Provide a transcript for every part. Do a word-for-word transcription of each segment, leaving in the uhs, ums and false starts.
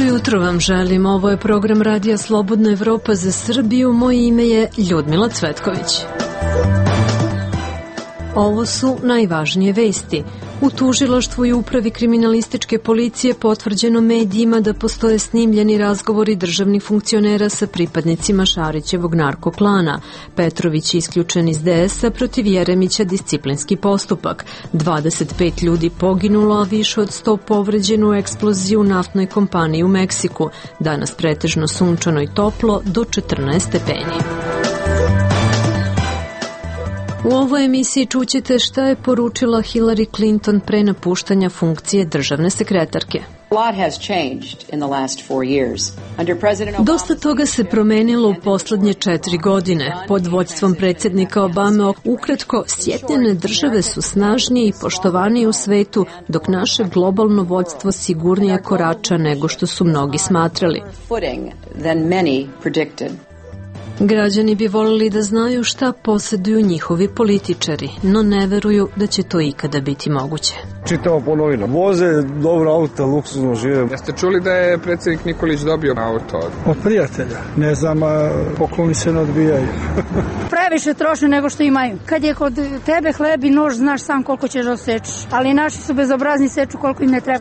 jutro vam želim. Ovo je program Radija Slobodna Evropa za Srbiju. Moje ime je Ljudmila Cvetković. Ovo su najvažnije vesti. U tužilaštvu i upravi kriminalističke policije potvrđeno medijima da postoje snimljeni razgovori državnih funkcionera sa pripadnicima Šarićevog narkoklana. Petrović je isključen iz D S-a, protiv Jeremića disciplinski postupak. dvadeset pet ljudi poginulo, a više od sto povređeno u eksploziji u naftnoj kompaniji u Meksiku. Danas pretežno sunčano i toplo, do četrnaest stepeni. U ovoj emisiji čućete šta je poručila Hillary Clinton pre napuštanja funkcije državne sekretarke. Dosta toga se promenilo u poslednje četiri godine. Pod vođstvom predsjednika Obame, ukratko, Sjedinjene države su snažnije i poštovanije u svetu, dok naše globalno vođstvo sigurnije korača nego što su mnogi smatrali. Građani bi volili da znaju šta posjeduju njihovi političari, no ne veruju da će to ikada biti moguće. Čitamo po novinama. Voze dobro auto, luksuzno žive. Jeste čuli da je predsjednik Nikolić dobio auto? Od prijatelja. Ne znam, pokloni se ne odbijaju. Previše troše nego što imaju. Kad je kod tebe hleb i nož, znaš sam koliko ćeš da osečeš. Ali naši su bezobrazni, seču koliko im ne treba.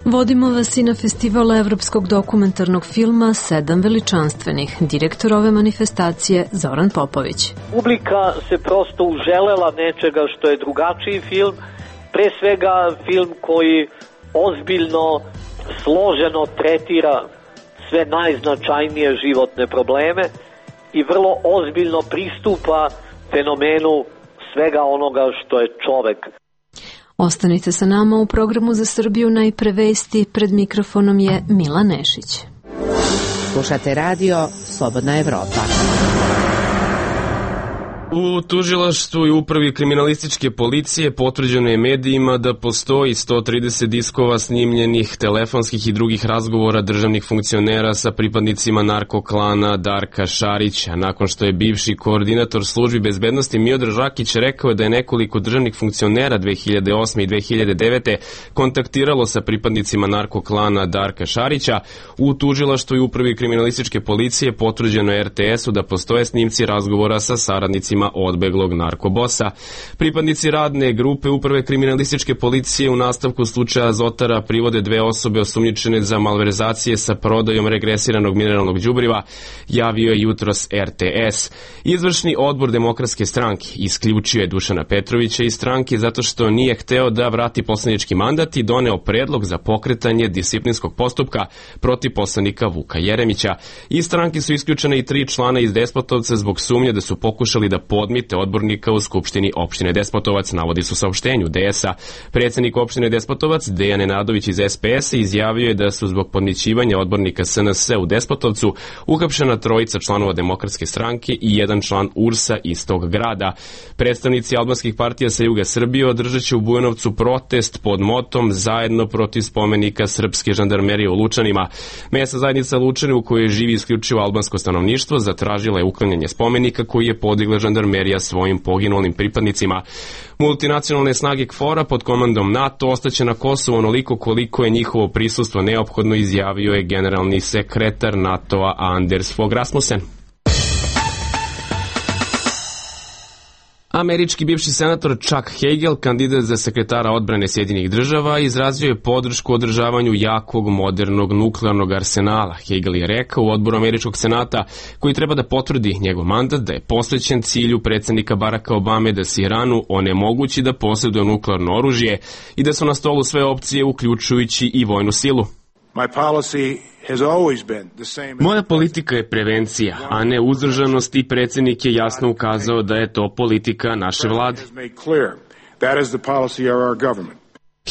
Vodimo vas i na festival evropskog dokumentarnog filma Sedam veličanstvenih. Direktor ove manifestacije Zoran Popović. Publika se prosto uželela nečega što je drugačiji film, pre svega film koji ozbiljno, složeno tretira sve najznačajnije životne probleme i vrlo ozbiljno pristupa fenomenu svega onoga što je čovek. Ostanite sa nama u programu za Srbiju. Najpre vesti, pred mikrofonom je Mila Nešić. Slušate radio Slobodna Evropa. U tužilaštvu i upravi kriminalističke policije potvrđeno je medijima da postoji sto trideset diskova snimljenih telefonskih i drugih razgovora državnih funkcionera sa pripadnicima narkoklana Darka Šarića. Nakon što je bivši koordinator službi bezbednosti Miodrag Žakić rekao da je nekoliko državnih funkcionera dve hiljade osme i dve hiljade devete kontaktiralo sa pripadnicima narkoklana Darka Šarića, u tužilaštvu i upravi kriminalističke policije potvrđeno je R T S-u da postoje snimci razgovora sa saradnicima odbeglog narkobosa. Pripadnici radne grupe uprave kriminalističke policije u nastavku slučaja Azotara privode dve osobe osumnjičene za malverzacije sa prodajom regresiranog mineralnog đubriva, javio je jutros R T S. Izvršni odbor Demokratske stranke isključio je Dušana Petrovića iz stranke zato što nije hteo da vrati poslanički mandat i doneo predlog za pokretanje disciplinskog postupka protiv poslanika Vuka Jeremića. Iz stranke su isključene i tri člana iz Despotovca zbog sumnje da su pokušali da podmite odbornika u Skupštini opštine Despotovac, navodi su saopštenju D S-a. Predsjednik opštine Despotovac, Dejan Nenadović iz S P S-a, izjavio je da su zbog podmićivanja odbornika S N S u Despotovcu uhapšena trojica članova Demokratske stranke i jedan član U R S-a iz tog grada. Predstavnici albanskih partija sa juga Srbije održat će u Bujanovcu protest pod motom Zajedno protiv spomenika srpske žandarmerije u Lučanima. Mesna zajednica Lučani, u kojoj živi isključivo albansko stanovništvo, zatražila je uklanjanje spomenika koji je podigla žandarmerija svojim poginulim pripadnicima. Multinacionalne snage K F O R-a pod komandom NATO ostaće na Kosovu onoliko koliko je njihovo prisustvo neophodno, izjavio je generalni sekretar NATO-a Anders Fogh Rasmussen. Američki bivši senator Chuck Hagel, kandidat za sekretara odbrane Sjedinjenih država, izrazio je podršku održavanju jakog, modernog nuklearnog arsenala. Hagel je rekao u odboru Američkog senata, koji treba da potvrdi njegov mandat, da je posvećen cilju predsjednika Baracka Obame da se Iranu onemogući da posjeduje nuklearno oružje i da su na stolu sve opcije, uključujući i vojnu silu. Moja politika je prevencija, a ne uzdržanost, i predsjednik je jasno ukazao da je to politika naše vlade.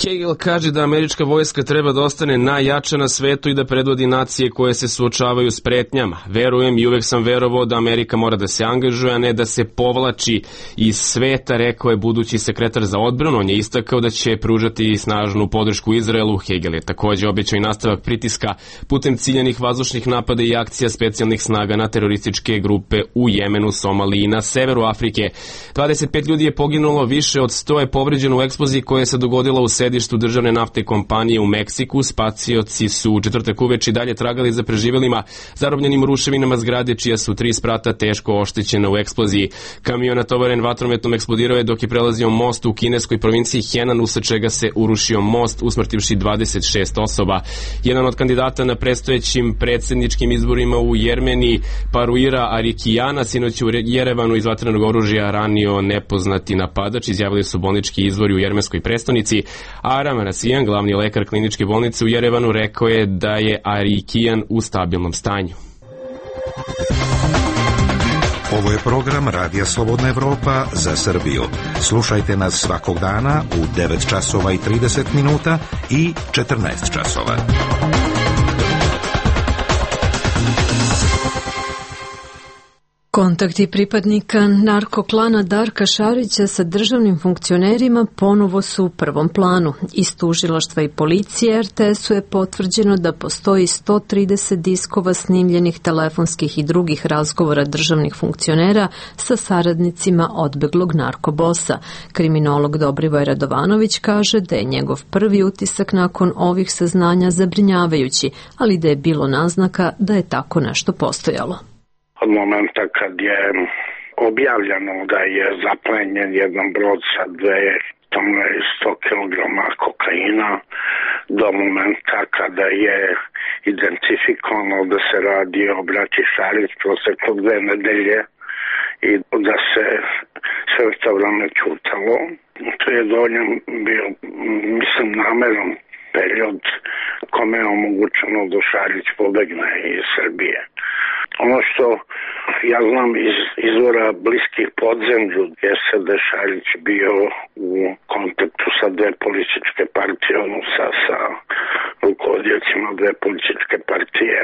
Hagel kaže da američka vojska treba da ostane najjača na svetu i da predvodi nacije koje se suočavaju s pretnjama. Verujem i uvek sam verovao da Amerika mora da se angažuje, a ne da se povlači iz sveta, rekao je budući sekretar za odbranu. On je istakao da će pružati snažnu podršku Izraelu. Hagel je također obećao i nastavak pritiska putem ciljanih vazdušnih napada i akcija specijalnih snaga na terorističke grupe u Jemenu, Somaliji i na severu Afrike. dvadeset pet ljudi je poginulo, više od sto je povređeno u eksploziji koja se dogodila u sedištu državne naftne kompanije u Meksiku. Spacioci su u četvrtak uveče dalje tragali za preživelima zarobljenim u ruševinama zgrade, čija su tri sprata teško oštećena u eksploziji. Kamion natovaren vatrometom eksplodirao je dok je prelazio most u kineskoj provinciji Henan, usled čega se urušio most, usmrtivši dvadeset šest osoba. Jedan od kandidata na predstojećim predsjedničkim izborima u Jermeniji, Paruira Arikijana, sinoć u Jerevanu iz vatrenog oružja ranio nepoznati napadač, izjavili su bolnički izvori u jermenskoj prestonici. Aram Rasijan, glavni lekar kliničke bolnice u Jerevanu, rekao je da je Arikijan u stabilnom stanju. Ovo je program Radija Slobodna Evropa za Srbiju. Slušajte nas svakog dana u devet časova i trideset minuta i četrnaest časova. Kontakti pripadnika narkoklana Darka Šarića sa državnim funkcionerima ponovo su u prvom planu. Iz tužilaštva i policije er te esu je potvrđeno da postoji sto trideset diskova snimljenih telefonskih i drugih razgovora državnih funkcionera sa saradnicima odbeglog narkobosa. Kriminolog Dobrivoj Radovanović kaže da je njegov prvi utisak nakon ovih saznanja zabrinjavajući, ali da je bilo naznaka da je tako nešto postojalo. Od momenta kad je objavljeno da je zaplenjen jedan brod sa dvesta kilograma kokaina, do momenta kada je identifikovano da se radi o braći Šarić, proteklo dve nedelje i da se sve to vreme ćutalo. To je dovoljno bio, mislim, nameran period kome je omogućeno da Šarić pobegne iz Srbije. Ono što ja znam iz izvora bliskih podzemlju jeste da je Šarić bio u kontaktu sa dve političke partije, odnosno sa rukovodioćima dve političke partije,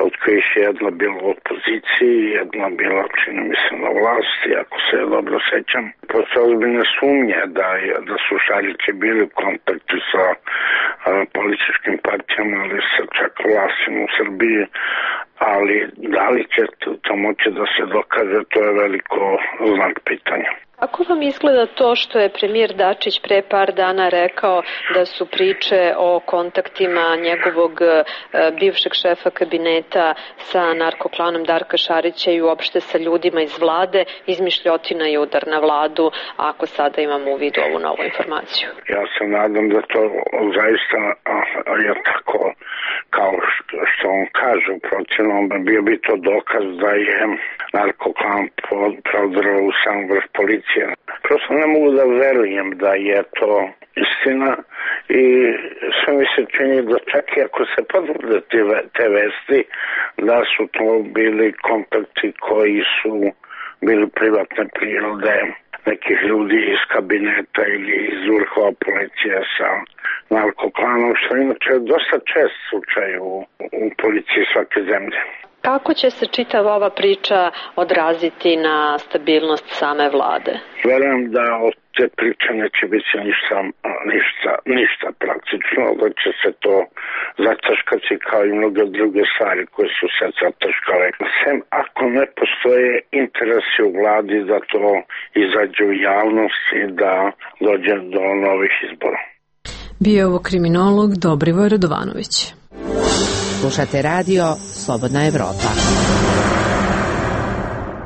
od kojih je jedna bila u opoziciji, jedna bila, čini mi se, na vlasti, ako se dobro sećam. Postoje ozbiljne sumnje da, je, da su Šarići bili u kontaktu sa a, političkim partijama, ali sa čak vlastima u Srbiji, ali da li će to moći da se dokaže, to je veliko znak pitanja. Kako vam izgleda to što je premijer Dačić pre par dana rekao da su priče o kontaktima njegovog e, bivšeg šefa kabineta sa narkoklanom Darka Šarića i uopšte sa ljudima iz vlade izmišljotina i udar na vladu, ako sada imamo u vidu ovu novu informaciju? Ja se nadam da to zaista je tako kao što on kaže, u protivnom bio bi to dokaz da je narkoklan prodrao u sam vrh policije. Prosto ne mogu da verujem da je to istina i sve mi se čini da čak i ako se potvrde te vesti, da su to bili kontakti koji su bili privatne prirode nekih ljudi iz kabineta ili iz vrhova policije sa narkoklanom, što inače je dosta čest slučaj u, u policiji svake zemlje. Kako će se čitava ova priča odraziti na stabilnost same vlade? Verujem da od te priče neće biti ništa, ništa, ništa praktično, da će se to zataškati kao i mnoge druge stvari koje su se zataškale. Sem ako ne postoje interesi u vladi da to izađe u javnost i da dođe do novih izbora. Bio je ovo kriminolog Dobrivoj Radovanović. Slušate radio Slobodna Evropa.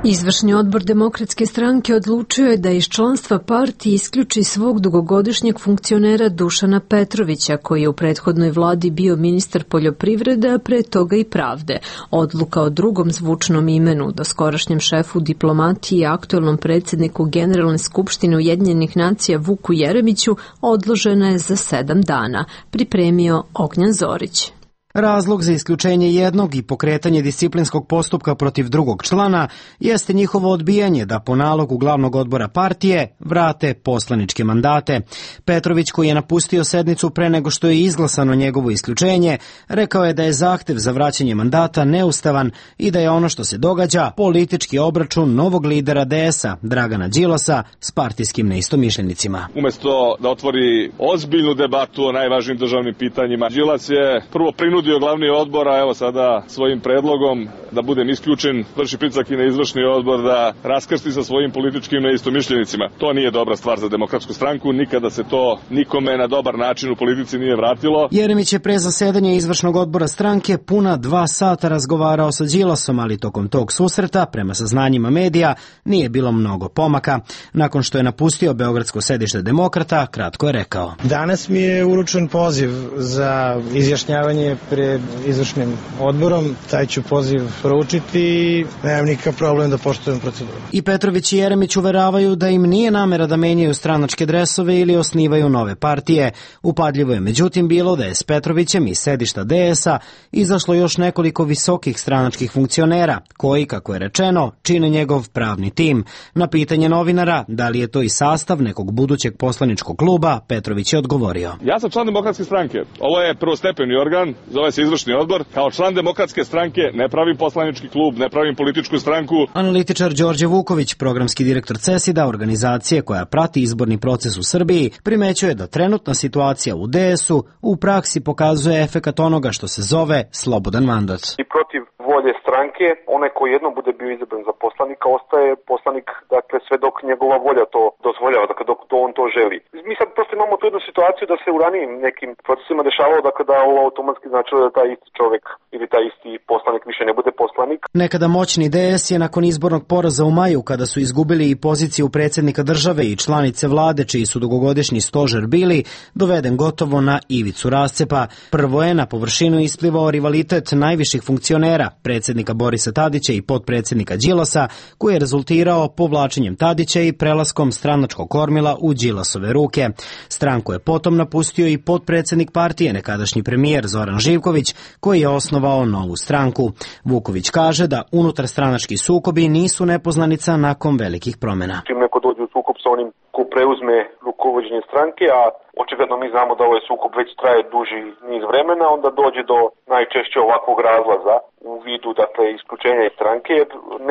Izvršni odbor Demokratske stranke odlučio je da iz članstva partije isključi svog dugogodišnjeg funkcionera Dušana Petrovića, koji je u prethodnoj vladi bio ministar poljoprivrede, a pre toga i pravde. Odluka o drugom zvučnom imenu, doskorašnjem šefu diplomatije i aktuelnom predsjedniku Generalne skupštine Ujedinjenih nacija Vuku Jeremiću odložena je za sedam dana, pripremio Ognjan Zorić. Razlog za isključenje jednog i pokretanje disciplinskog postupka protiv drugog člana jeste njihovo odbijanje da po nalogu glavnog odbora partije vrate poslaničke mandate. Petrović, koji je napustio sednicu pre nego što je izglasano njegovo isključenje, rekao je da je zahtev za vraćanje mandata neustavan i da je ono što se događa politički obračun novog lidera de esa, Dragana Đilasa, s partijskim neistomišljenicima. Umesto da otvori ozbiljnu debatu o najvažnijim državnim pitanjima, Đilas je prvo prinudio glavni odbor, a evo sada svojim predlogom da budem isključen, vrši pritisak i na izvršni odbor da raskrsti sa svojim političkim neistomišljenicima. To nije dobra stvar za Demokratsku stranku, nikada se to nikome na dobar način u politici nije vratilo. Jeremić je pre zasedanja izvršnog odbora stranke puna dva sata razgovarao sa Đilasom, ali tokom tog susreta, prema saznanjima medija, nije bilo mnogo pomaka. Nakon što je napustio beogradsko sedište Demokrata, kratko je rekao: Danas mi je uručen poziv za izjašnjavanje pred izvršnim odborom. Taj ću poziv proučiti i nemam nikakav problem da poštujem proceduru. I Petrović i Jeremić uveravaju da im nije namera da menjaju stranačke dresove ili osnivaju nove partije. Upadljivo je međutim bilo da je s Petrovićem iz sedišta D S-a izašlo još nekoliko visokih stranačkih funkcionera, koji, kako je rečeno, čine njegov pravni tim. Na pitanje novinara da li je to i sastav nekog budućeg poslaničkog kluba, Petrović je odgovorio: Ja sam član Demokratske stranke. Ovo je prvostepeni organ, zove se izvršni odbor. Kao član Demokratske stranke ne pravim poslanički klub, ne pravim političku stranku. Analitičar Đorđe Vuković, programski direktor CESID-a, organizacije koja prati izborni proces u Srbiji, primećuje da trenutna situacija u D S-u u praksi pokazuje efekat onoga što se zove slobodan mandat. I protiv volje stranke, onaj koji jednom bude bio izabran za poslanika, ostaje poslanik, dakle, sve dok njegova volja to dozvoljava, dakle, dok to on to želi. Mi sad prosto imamo tu jednu situaciju da se u ranijim nekim procesima dešavalo, dakle, da ovo automatski značilo da taj isti čovek ili taj isti poslanik više ne bude poslanik. Nekada moćni D S je nakon izbornog poraza u maju, kada su izgubili i poziciju predsjednika države i članice vlade, čiji su dugogodišnji stožer bili, doveden gotovo na ivicu rascepa. Prvo je na površinu isplivao rivalitet najviših funkcionera, predsjednika Borisa Tadića i potpredsjednika Đilasa, koji je rezultirao povlačenjem Tadića i prelaskom stranačkog kormila u Đilasove ruke. Stranku je potom napustio i potpredsjednik partije, nekadašnji premijer Zoran Živković, koji je osnovao novu stranku. Vuković kaže da unutar stranački sukobi nisu nepoznanica nakon velikih promjena. Čim neko dođe u sukob sa onim ko preuzme rukovođenje stranke, a očigledno mi znamo da ovaj sukob već traje duži niz vremena, onda dođe do najčešće ovakvog razlaza u vidu, dakle, isključenja iz stranke.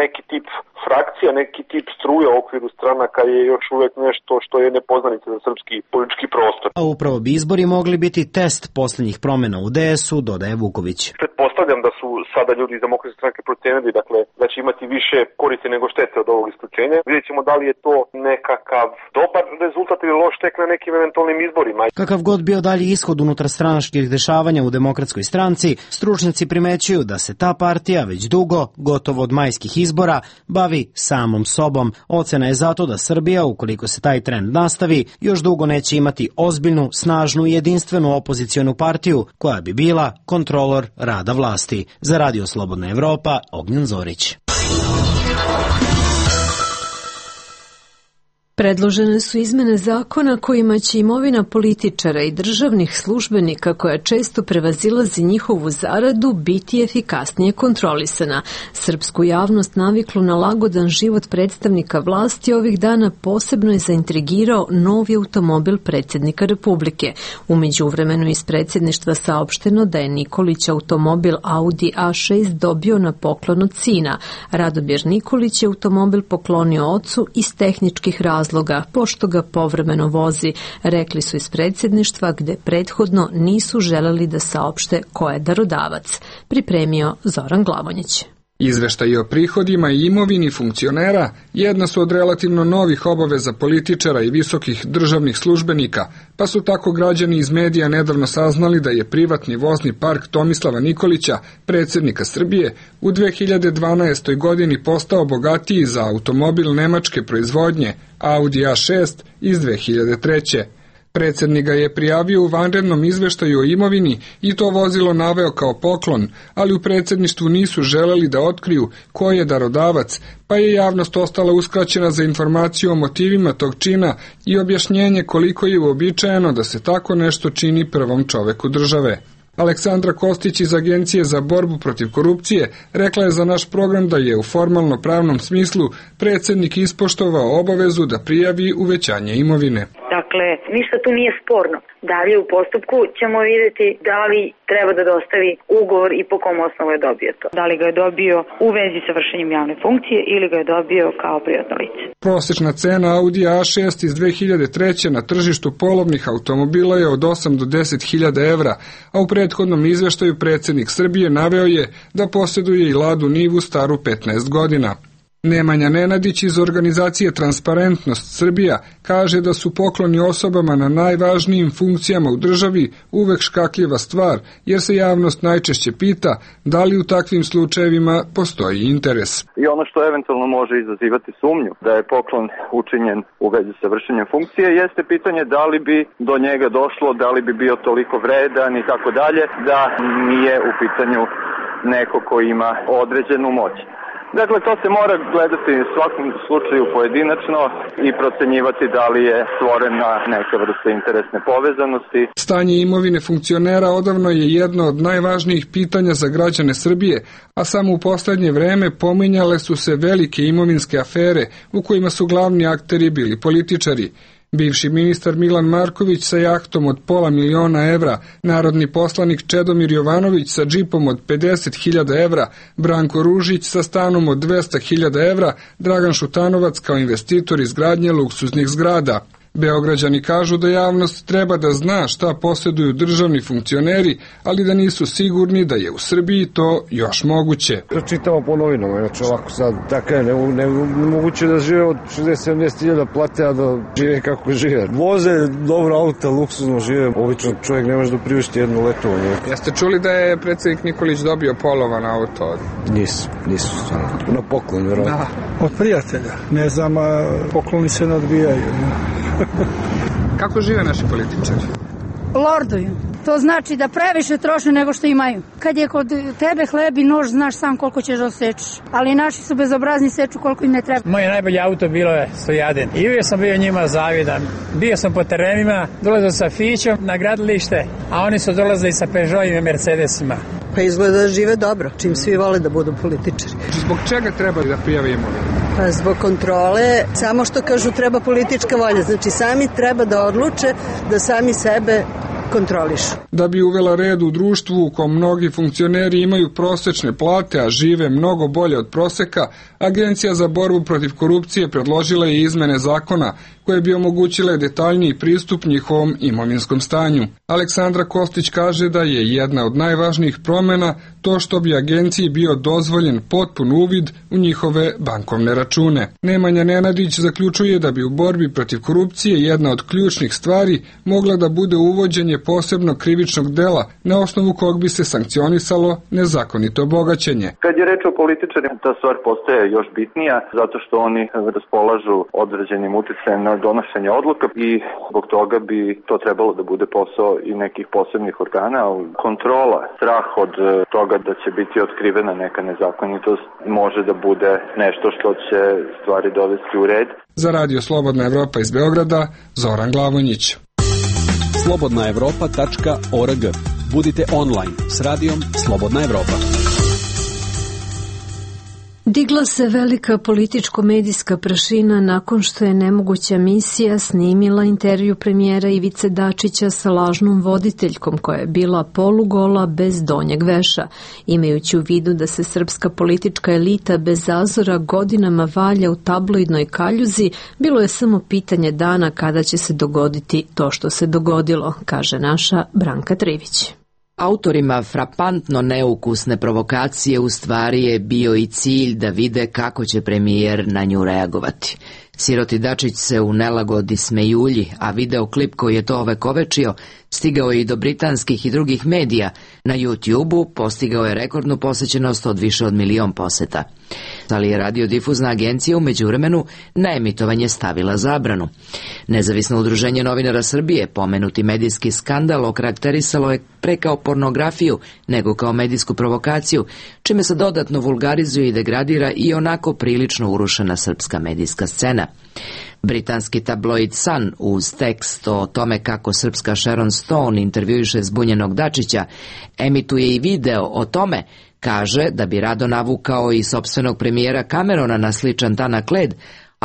Neki tip frakcija, neki tip struje u okviru stranaka je još uvek nešto što je nepoznanica za srpski politički prostor. A upravo bi izbori mogli biti test posljednjih promjena u D S-u, dodaje Vuković. Pretpostavljam da su sada ljudi iz Demokratske stranke procenili, dakle, da će imati više koristi nego štete od ovog isključenja. Vidjet ćemo da li je to nekakav dobar rezultat ili loš tek na nekim eventualnim izborima. Kakav god bio dalji ishod unutar stranačkih dešavanja u Demokratskoj stranci, stručnjaci primećuju da se ta partija već dugo, gotovo od majskih izbora, bavi samom sobom. Ocena je zato da Srbija, ukoliko se taj trend nastavi, još dugo neće imati ozbiljnu, snažnu i jedinstvenu opozicionu partiju koja bi bila kontrolor rada vlasti. Za Radio Slobodna Evropa, Ognjen Zorić. Predložene su izmene zakona kojima će imovina političara i državnih službenika, koja često prevazilazi njihovu zaradu, biti efikasnije kontrolisana. Srpsku javnost naviklu na lagodan život predstavnika vlasti ovih dana posebno je zaintrigirao novi automobil predsjednika Republike. U međuvremenu iz predsjedništva saopšteno da je Nikolić automobil Audi A šest dobio na poklon od sina. Radomir Nikolić je automobil poklonio ocu iz tehničkih razloga, pošto ga povremeno vozi, rekli su iz predsjedništva, gde prethodno nisu želeli da saopšte ko je darodavac. Pripremio Zoran Glavonjić. Izveštaji o prihodima i imovini funkcionera jedna su od relativno novih obaveza političara i visokih državnih službenika, pa su tako građani iz medija nedavno saznali da je privatni vozni park Tomislava Nikolića, predsjednika Srbije, u dve hiljade dvanaestoj. godini postao bogatiji za automobil nemačke proizvodnje Audi A šest iz dve hiljade treće. Predsjednik ga je prijavio u vanrednom izveštaju o imovini i to vozilo naveo kao poklon, ali u predsjedništvu nisu želeli da otkriju ko je darodavac, pa je javnost ostala uskraćena za informaciju o motivima tog čina i objašnjenje koliko je uobičajeno da se tako nešto čini prvom čoveku države. Aleksandra Kostić iz Agencije za borbu protiv korupcije rekla je za naš program da je u formalno pravnom smislu predsjednik ispoštovao obavezu da prijavi uvećanje imovine. Dakle, ništa tu nije sporno. Dalje u postupku ćemo vidjeti da li treba da dostavi ugovor i po kom osnovu je dobio to. Da li ga je dobio u vezi sa vršenjem javne funkcije ili ga je dobio kao privatno lice. Prosječna cena Audi A šest iz dve hiljade treće. na tržištu polovnih automobila je od osam do deset hiljada evra, a u prethodnom izveštaju predsjednik Srbije naveo je da posjeduje i Ladu Nivu staru petnaest godina. Nemanja Nenadić iz organizacije Transparentnost Srbija kaže da su pokloni osobama na najvažnijim funkcijama u državi uvek škakljiva stvar, jer se javnost najčešće pita da li u takvim slučajevima postoji interes. I ono što eventualno može izazivati sumnju da je poklon učinjen u vezi sa vršenjem funkcije jeste pitanje da li bi do njega došlo, da li bi bio toliko vredan i tako dalje, da nije u pitanju neko ko ima određenu moć. Dakle, to se mora gledati u svakom slučaju pojedinačno i procenjivati da li je stvorena neka vrsta interesne povezanosti. Stanje imovine funkcionera odavno je jedno od najvažnijih pitanja za građane Srbije, a samo u poslednje vreme pominjale su se velike imovinske afere u kojima su glavni akteri bili političari. Bivši ministar Milan Marković sa jahtom od pola miliona evra, narodni poslanik Čedomir Jovanović sa džipom od pedeset hiljada evra, Branko Ružić sa stanom od dvesta hiljada evra, Dragan Šutanovac kao investitor izgradnje luksuznih zgrada. Beograđani kažu da javnost treba da zna šta posjeduju državni funkcioneri, ali da nisu sigurni da je u Srbiji to još moguće. Čitamo po novinama, znači ovako sad, tako je, nemoguće da žive od šezdeset sedamdeset hiljada plate, a da žive kako žive. Voze dobro auta, luksuzno žive, obično čovjek ne može da priušti jedno letovanje. Jeste čuli da je predsjednik Nikolić dobio polovan auto? Nisu, nisu stvarno. Na poklon, vjerojatno. Da, od prijatelja. Ne znam, pokloni se ne odbijaju. Kako žive naši političari? Lorduju. To znači da previše troše nego što imaju. Kad je kod tebe hleb i nož, znaš sam koliko ćeš da osečeš. Ali naši su bezobrazni, seču koliko im ne treba. Moje najbolje auto bilo je Stojadin. I uvijek sam bio njima zavidan. Bio sam po terenima, dolazio sa Fićom na gradilište, a oni su dolazili sa Peugeotima i Mercedesima. Pa izgleda da žive dobro, čim svi vole da budu političari. Zbog čega treba da prijave imovinu? Pa zbog kontrole, samo što kažu treba politička volja. Znači sami treba da odluče da sami sebe kontrolišu. Da bi uvela red u društvu u kom mnogi funkcioneri imaju prosečne plate, a žive mnogo bolje od proseka, Agencija za borbu protiv korupcije predložila je izmene zakona koje bi omogućile detaljniji pristup njihovom imovinskom stanju. Aleksandra Kostić kaže da je jedna od najvažnijih promjena to što bi agenciji bio dozvoljen potpun uvid u njihove bankovne račune. Nemanja Nenadić zaključuje da bi u borbi protiv korupcije jedna od ključnih stvari mogla da bude uvođenje posebnog krivičnog dela na osnovu kog bi se sankcionisalo nezakonito bogaćenje. Kad je reč o političarima, ta stvar postaje još bitnija zato što oni raspolažu određenim uticajem na donošenje odluka i zbog toga bi to trebalo da bude posao i nekih posebnih organa. Kontrola, strah od toga da će biti otkrivena neka nezakonitost može da bude nešto što će stvari dovesti u red. Za Radio Slobodna Evropa iz Beograda, Zoran Glavonjić. slobodna evropa tačka org. Budite online s radijom Slobodna Evropa. Digla se velika političko-medijska prašina nakon što je nemoguća misija snimila intervju premijera Ivice Dačića sa lažnom voditeljkom koja je bila polugola bez donjeg veša. Imajući u vidu da se srpska politička elita bez zazora godinama valja u tabloidnoj kaljuzi, bilo je samo pitanje dana kada će se dogoditi to što se dogodilo, kaže naša Branka Trivić. Autorima frapantno neukusne provokacije u stvari je bio i cilj da vide kako će premijer na nju reagovati. Siroti Dačić se u nelagodi smejulji, a videoklip koji je to ovekovečio stigao je i do britanskih i drugih medija. Na YouTube-u postigao je rekordnu posećenost od više od milion poseta. Ali je radiodifuzna agencija u međuvremenu na emitovanje stavila zabranu. Nezavisno udruženje novinara Srbije, pomenuti medijski skandal okarakterisalo je pre kao pornografiju nego kao medijsku provokaciju, čime se dodatno vulgarizuje i degradira i onako prilično urušena srpska medijska scena. Britanski tabloid Sun uz tekst o tome kako srpska Sharon Stone intervjuiše zbunjenog Dačića emituje i video o tome. Kaže da bi rado navukao i sopstvenog premijera Camerona na sličan tanak led,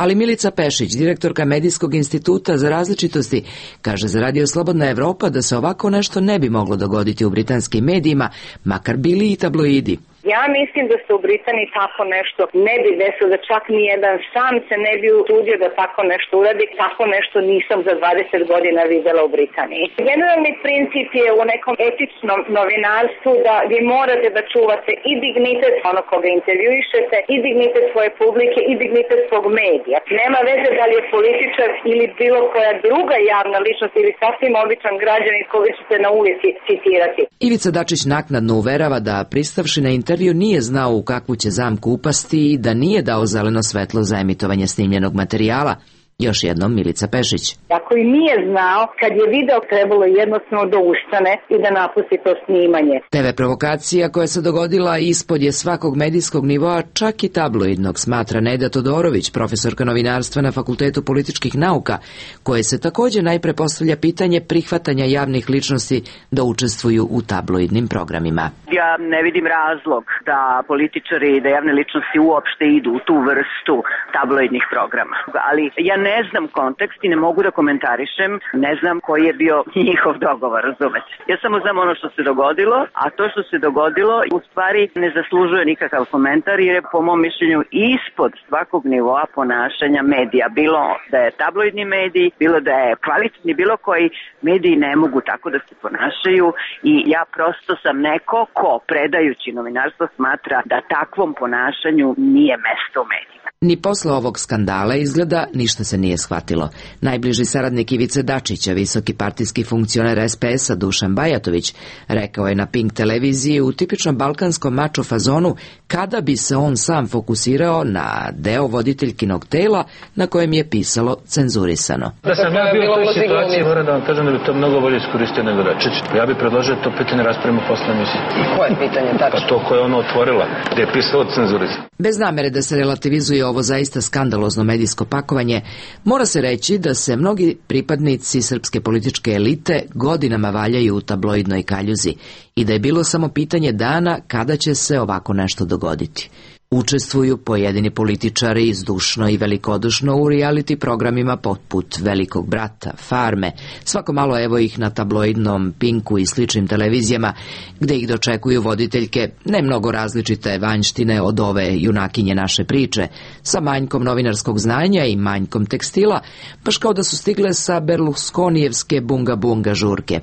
Ali Milica Pešić, direktorka Medijskog instituta za različitosti, kaže za Radio Slobodna Evropa da se ovako nešto ne bi moglo dogoditi u britanskim medijima, makar bili i tabloidi. Ja mislim da se u Britaniji tako nešto ne bi desilo, da čak nijedan sam se ne bi usudio da tako nešto uradi. Tako nešto nisam za dvadeset godina videla u Britaniji. Generalni princip je u nekom etičnom novinarstvu da vi morate da čuvate i dignitet onog koga intervjuišete, i dignitet svoje publike, i dignitet svog medija. Nema veze da li je političar ili bilo koja druga javna ličnost ili sasvim običan građanin koga ćete na ulici citirati. Ivica Dačić naknadno uverava da pristavši na intervju nije znao u kakvu će zamku upasti i da nije dao zeleno svetlo za emitovanje snimljenog materijala. Još jednom Milica Pešić. Ako i nije znao, kad je video, trebalo jednostavno da ustane i da napusti to snimanje. te ve provokacija koja se dogodila ispod je svakog medijskog nivoa, čak i tabloidnog, smatra Neda Todorović, profesorka novinarstva na Fakultetu političkih nauka, koje se također najpre postavlja pitanje prihvatanja javnih ličnosti da učestvuju u tabloidnim programima. Ja ne vidim razlog da političari i da javne ličnosti uopšte idu u tu vrstu tabloidnih programa. Ali ja ne znam kontekst i ne mogu da komentarišem, ne znam koji je bio njihov dogovor, razumete. Ja samo znam ono što se dogodilo, a to što se dogodilo u stvari ne zaslužuje nikakav komentar jer je po mom mišljenju ispod svakog nivoa ponašanja medija. Bilo da je tabloidni medij, bilo da je kvalitetni, bilo koji mediji ne mogu tako da se ponašaju i ja prosto sam neko ko predajući novinarstvo smatra da takvom ponašanju nije mesto u medijima. Ni posle ovog skandala izgleda ništa se nije shvatilo. Najbliži saradnik Ivice Dačića, visoki partijski funkcioner es pe es a Dušan Bajatović, rekao je na Pink televiziji u tipičnom balkanskom mačo fazonu kada bi se on sam fokusirao na deo voditeljkinog tela na kojem je pisalo cenzurisano. Da sam ja bio u toj situaciji, moram da vam kažem da bi to mnogo bolje iskoristio nego Dačić. Ja bih predložio to pitanje raspravimo posle emisije. I koje pitanje tačno? Pa to koje je ona otvorila, gde je pisalo cenzurisano. Bez namere da se relativizuje ovo zaista skandalozno medijsko pakovanje, mora se reći da se mnogi pripadnici srpske političke elite godinama valjaju u tabloidnoj kaljuzi i da je bilo samo pitanje dana kada će se ovako nešto dogoditi. Učestvuju pojedini političari zdušno i velikodušno u reality programima poput Velikog brata, Farme, svako malo evo ih na tabloidnom Pinku i sličnim televizijama, gde ih dočekuju voditeljke ne mnogo različite vanjštine od ove junakinje naše priče, sa manjkom novinarskog znanja i manjkom tekstila, baš kao da su stigle sa Berlusconijevske bunga bunga žurke.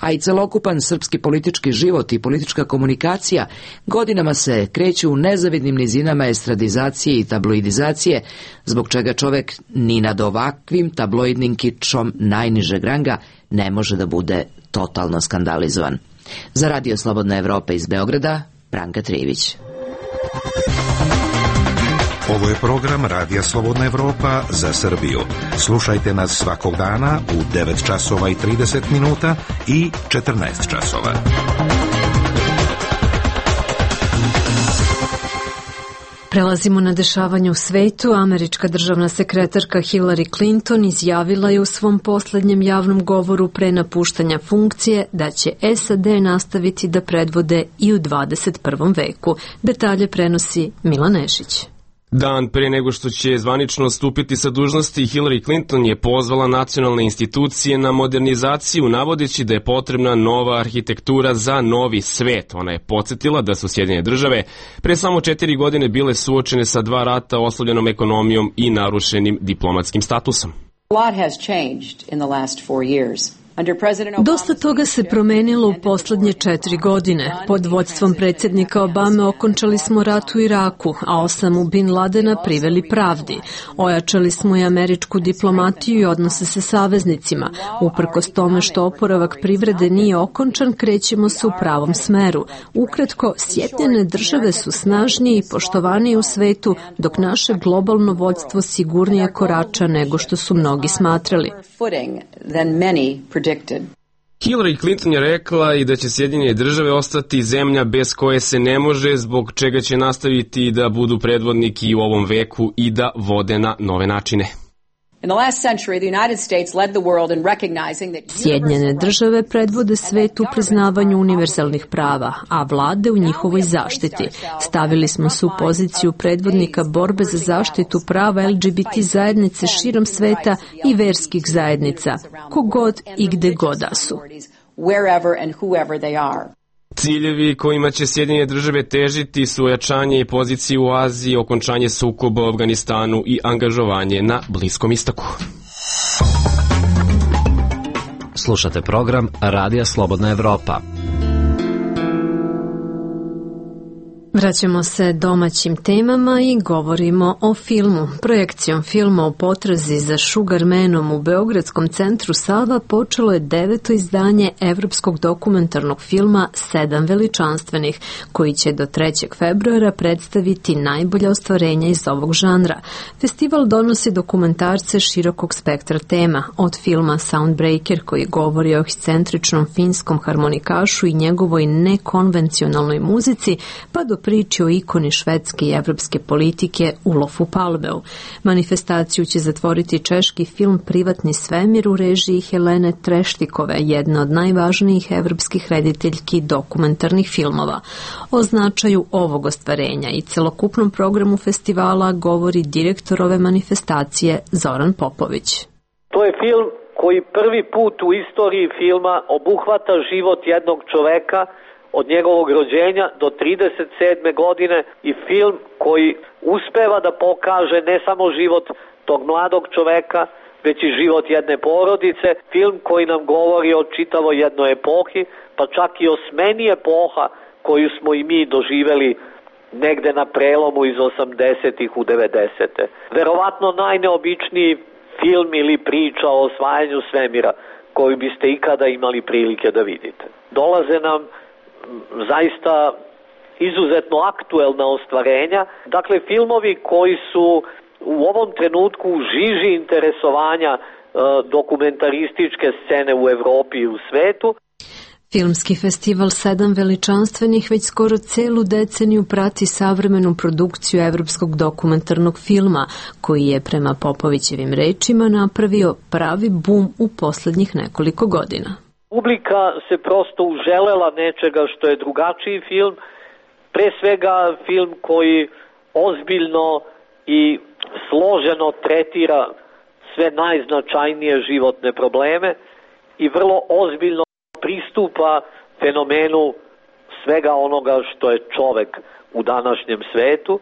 A i celokupan srpski politički život i politička komunikacija godinama se kreću u nezavidnim nizinama estradizacije i tabloidizacije, zbog čega čovek ni nad ovakvim tabloidnim kičom najnižeg ranga ne može da bude totalno skandalizovan. Za Radio Slobodna Evropa iz Beograda, Branka Trivić. Ovo je program Radija Slobodna Evropa za Srbiju. Slušajte nas svakog dana u devet časova i trideset minuta i četrnaest časova. Prelazimo na dešavanje u svetu. Američka državna sekretarka Hillary Clinton izjavila je u svom poslednjem javnom govoru pre napuštanja funkcije da će es a de nastaviti da predvode i u dvadeset prvom veku. Detalje prenosi Milan Nešić. Dan pre nego što će zvanično stupiti sa dužnosti, Hillary Clinton je pozvala nacionalne institucije na modernizaciju, navodeći da je potrebna nova arhitektura za novi svet. Ona je podsjetila da su Sjedinjene države pre samo četiri godine bile suočene sa dva rata, oslabljenom ekonomijom i narušenim diplomatskim statusom. A lot has changed in the last four years. Dosta toga se promenilo u poslednje četiri godine. Pod vodstvom predsjednika Obame okončali smo rat u Iraku, a Osamu Bin Ladena priveli pravdi. Ojačali smo i američku diplomatiju i odnose sa saveznicima. Uprkos tome što oporavak privrede nije okončan, krećemo se u pravom smeru. Ukratko, Sjedinjene države su snažnije i poštovanije u svetu, dok naše globalno vodstvo sigurnije korača nego što su mnogi smatrali. Hillary Clinton je rekla i da će Sjedinjene države ostati zemlja bez koje se ne može, zbog čega će nastaviti da budu predvodniki u ovom veku i da vode na nove načine. Sjedinjene države predvode svet u priznavanju univerzalnih prava, a vlade u njihovoj zaštiti. Stavili smo se u poziciju predvodnika borbe za zaštitu prava L G B T zajednice širom sveta i verskih zajednica, kogod i gde god da su. Ciljevi kojima će Sjedinjene države težiti su ojačanje pozicije u Aziji, okončanje sukoba u Afganistanu i angažovanje na Bliskom istoku. Slušate program Radija Slobodna Evropa. Vraćamo se domaćim temama i govorimo o filmu. Projekcijom filma o potrazi za Sugarmanom u Beogradskom centru Sava počelo je deveto izdanje evropskog dokumentarnog filma Sedam veličanstvenih, koji će do trećeg februara predstaviti najbolja ostvarenja iz ovog žanra. Festival donosi dokumentarce širokog spektra tema, od filma Soundbreaker, koji govori o ekscentričnom finskom harmonikašu i njegovoj nekonvencionalnoj muzici, pa do priči o ikoni švedske i evropske politike Ulofu Palveu. Manifestaciju će zatvoriti češki film Privatni svemir u režiji Helene Treštikove, jedna od najvažnijih evropskih rediteljki dokumentarnih filmova. O značaju ovog ostvarenja i celokupnom programu festivala govori direktor ove manifestacije Zoran Popović. To je film koji prvi put u istoriji filma obuhvata život jednog čoveka od njegovog rođenja do trideset sedme godine i film koji uspeva da pokaže ne samo život tog mladog čoveka, već i život jedne porodice, film koji nam govori o čitavoj jednoj epohi, pa čak i o smeni epoha koju smo i mi doživeli negde na prelomu iz osamdesetih u devedesete. Verovatno najneobičniji film ili priča o osvajanju svemira koju biste ikada imali prilike da vidite. Dolaze nam zaista izuzetno aktuelna ostvarenja. Dakle, filmovi koji su u ovom trenutku u žiži interesovanja e, dokumentarističke scene u Evropi i u svetu. Filmski festival Sedam veličanstvenih već skoro celu deceniju prati savremenu produkciju evropskog dokumentarnog filma, koji je prema Popovićevim rečima napravio pravi bum u poslednjih nekoliko godina. Publika se prosto uželela nečega što je drugačiji film, pre svega film koji ozbiljno i složeno tretira sve najznačajnije životne probleme i vrlo ozbiljno pristupa fenomenu svega onoga što je čovek u današnjem svetu.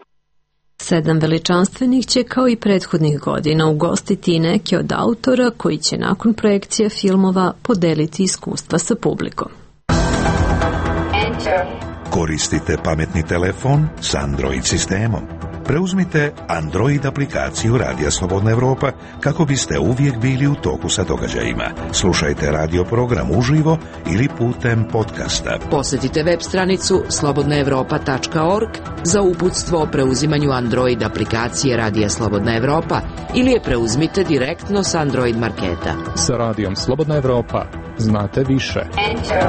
Sedam veličanstvenih će kao i prethodnih godina ugostiti i neke od autora koji će nakon projekcije filmova podeliti iskustva sa publikom. Koristite pametni telefon s Android sistemom. Preuzmite Android aplikaciju Radija Slobodna Evropa kako biste uvijek bili u toku sa događajima. Slušajte radio program uživo ili putem podcasta. Posjetite web stranicu slobodna evropa tačka org za uputstvo o preuzimanju Android aplikacije Radija Slobodna Evropa ili je preuzmite direktno s Android marketa. Sa Radijom Slobodna Evropa znate više. Enter.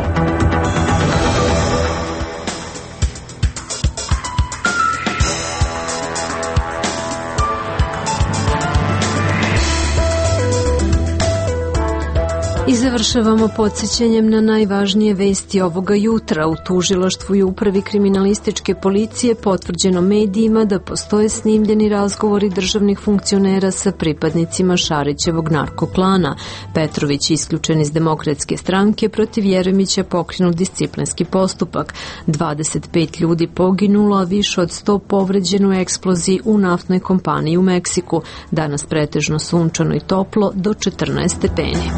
I završavamo podsjećanjem na najvažnije vesti ovoga jutra. U tužilaštvu i upravi kriminalističke policije potvrđeno medijima da postoje snimljeni razgovori državnih funkcionera sa pripadnicima Šarićevog narkoklana. Petrović isključen iz Demokratske stranke, protiv Jeremića pokrenut disciplinski postupak. dvadeset pet ljudi poginulo, a više od sto povređeno u eksploziji u naftnoj kompaniji u Meksiku. Danas pretežno sunčano i toplo do četrnaest stepeni.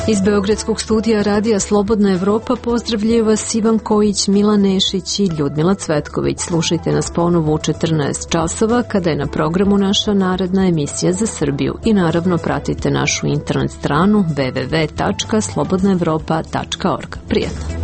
Iz Beogradskog studija Radija Slobodna Evropa pozdravljaju vas Ivan Kojić, Milan Nešić i Ljudmila Cvetković. Slušajte nas ponovo u četrnaest časova kada je na programu naša naredna emisija za Srbiju i naravno pratite našu internet stranu w w w tačka slobodna evropa tačka org. Prijetno!